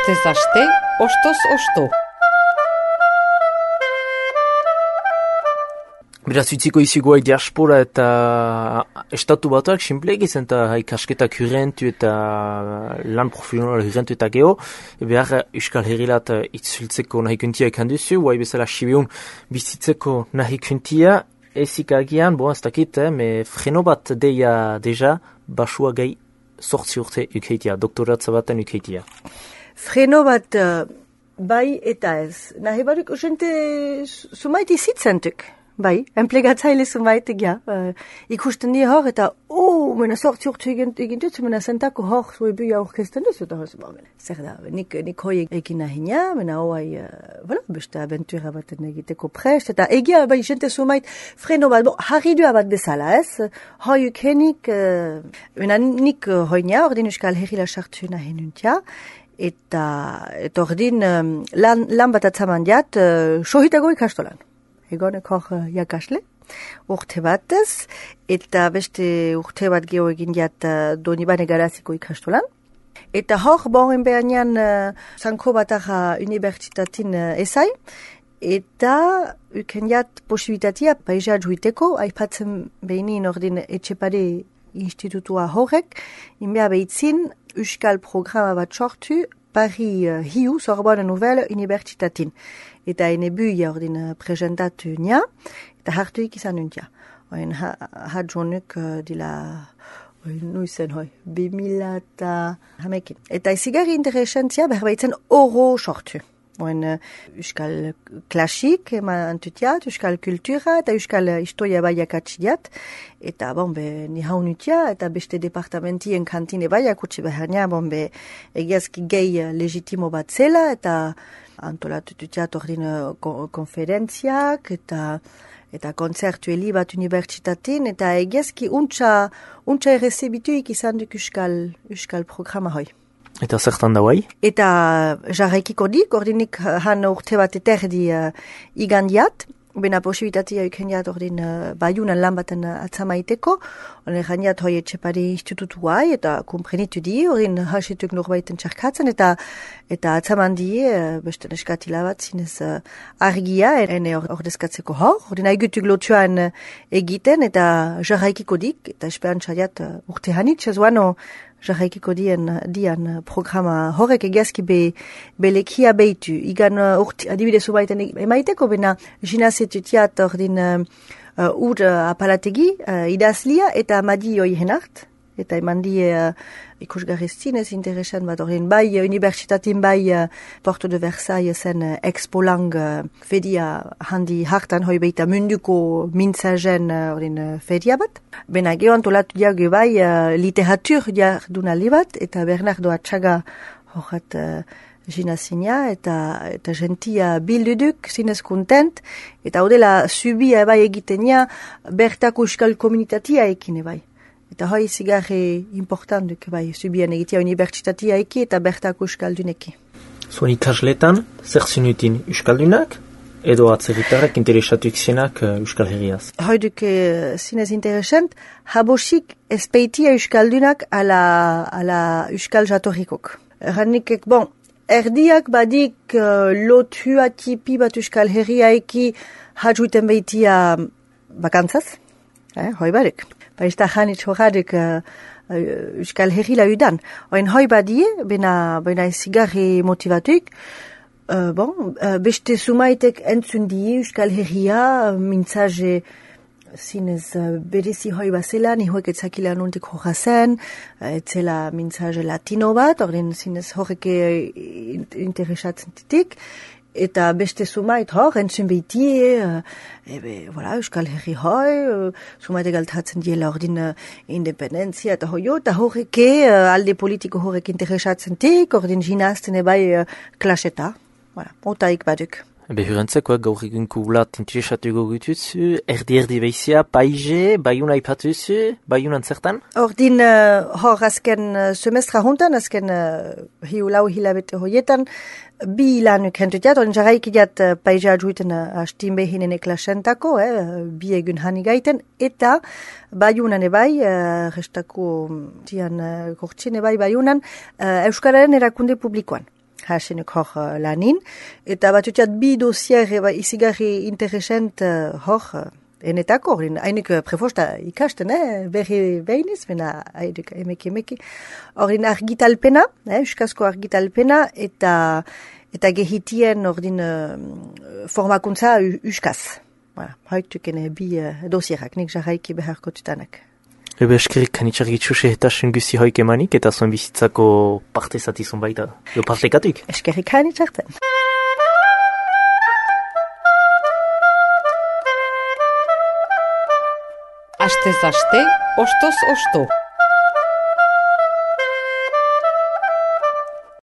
Astez aste, ostoz osto. Beraz, utziko izigoa diaspora eta estatu batuak sinpleak izan eta ikasketak hurrentu eta lan profesional hurrentu eta geho. Behar Euskal Herrilat itzultzeko nahi kuntia ikan duzu, guai bezala Sibiun bizitzeko nahi kuntia. Ezik agian, ez dakit, me freno bat deia deja, basua gai 8 urte ukeitia, doktoratza baten ukeitia. Freno bat bai eta ez. Nahi barik usente sumaiti zitzentuk. Bai, enplegatzaile zumaitek, ja. Ikusten die hor eta, mena 8 urte egin dut, mena zentako hor zoi buia orkesten dut, eta zer da, nik hoi egin nahinia, mena hoai, beste aventura baten egiteko prest, eta egia, bai, jente sumait, freno bat, harridua bat bezala, ez? Hoi ukenik, mena nik hoinia, ordin Euskal Herrila sartu nahi nuntia, eta ordin lan bat atzaman diat, sohitago ikastolan. Egonek hor jakasle, urte batez, eta beste urte bat geho egin diat Donibane Garaziko ikastolan. Eta hor, boren behanean Sanko Batarra Unibertsitatin ezai, eta uken diat posibilitatea paisa juiteko, aipatzen behinin ordin etxepare institutua horrek, inbea behitzin Euskal programa bat sortu, Paris Hiu, Sorbonne Nouvelle Unibertsitatin. Eta ene buia ordin presentatu nia, eta hartuik izan nuntia. Oen hadjonuk dila, nuizen 2000 eta hamekin. Eta ezigarri interesentzia berbaitzen oro sortu. Oen Euskal klasik antutiat, Euskal kultura eta Euskal historia baiak atxidiat. Eta ni haunutia eta beste departamentien kantine baiak utzi beharnia, egiazki gehi legitimo bat zela eta antolatu dutiat ordin konferentziak eta kontzertueli bat unibertsitatin eta egiazki untxa errezebituik izan duk Euskal programa hoi. Eta zertan da guai? Eta jarraikiko dik, ordinik han urte bat eterdi igandiat, bena posibilitatea ikendiat ordin baiunan lan baten atzamaiteko, ordin jandiat hoi etxepari institutu guai, eta kumprenitu di, ordin hasetuk norbaiten txarkatzen, eta atzaman di, beste neskatila bat, zinez argia, ene ordezkatzeko hor, ordin haigutuk lotuan egiten, eta jarraikiko dik, eta esperantzaiat urte hanit, zezuano jarraikiko dian programa horrek egiazki belekia behitu. Igan urte, adibidez ubaiten emaiteko, bena jinazetutiat ordin ur apalategi, idazlia eta madi oihen hart. Eta eman die ikusgarriztinez interesan bat ordin bai unibertsitatin bai Porto de Versailles zen Expo Lang fedia handi hartan hoi beita munduko mintzagen ordin fedia bat. Bena geho antolatu diago bai literatur jardunaldi bat eta Bernardo Atxaga horret jinazina eta gentia bilduduk zinez kontent eta odela subia bai egitenia bertako euskal komunitatea ekin bai. Eta hoi zigarri importantuk bai, subian egitea unibertsitatea eki eta bertako euskalduneki. Zuen ikasletan, zer zinutin euskaldunak edo atzerritarrak interesatuik zenak Euskal Herriaz? Hoi duk zinez interesant, habosik espeitia euskaldunak ala euskal jatorrikok. Erranikek, erdiak badik lotua tipi bat Euskal Herria eki hadjuiten behitia bakantzaz, hoi barik. Baizta janitz horradek Euskal Herrila udan. Oen hoi badie, bena zigarri motivatuik, beste sumaitek entzun die Euskal Herria, mintzaje zinez berezi hoi bazela, ni hoek etzakila nuntik horra zen, etzela mintzaje latino bat, orden zinez horrek interesatzen titik, eta beste sumait hor, entzun behitie, Euskal Herri hoi, sumait egaltatzen diela ordin independenzia eta hoio, eta horreke alde politiko horrek interesatzen tik, ordin jinazten ebai klaseta, otaik baduk. Behurentzeko gaur egun kubulat interesatu gogutuz, erdi behizia, paize, baiuna ipatuzu, baiunan zertan? Ordin hor azken semestra hontan, azken lau hilabete hoietan, bi lanuk hentutiat, ordin jarraikidiat paize adjuiten hastin behinen eklasentako, bi egun hanigaiten, eta baiunan ebai, restako dian gortzin ebai baiunan, Euskararen erakunde publikoan. hasenuk hor lanin, eta batutiat bi dosier izigarri interesent hor enetako, hainik prefosta ikasten, berri behiniz, bena haiduk emeki. Horin argitalpena, euskazko argitalpena, eta gehitien ordin formakuntza euskaz. Voilà, haituken bi dosierak, nik jarraiki beharko tutanak. Ebe eskerik kanitxargitzu sehetasun guzi hoik emanik eta zuen bizitzako parte zatizun baita. Jo partekatuk? Eskerik kanitxarten. Astez aste, ostoz osto.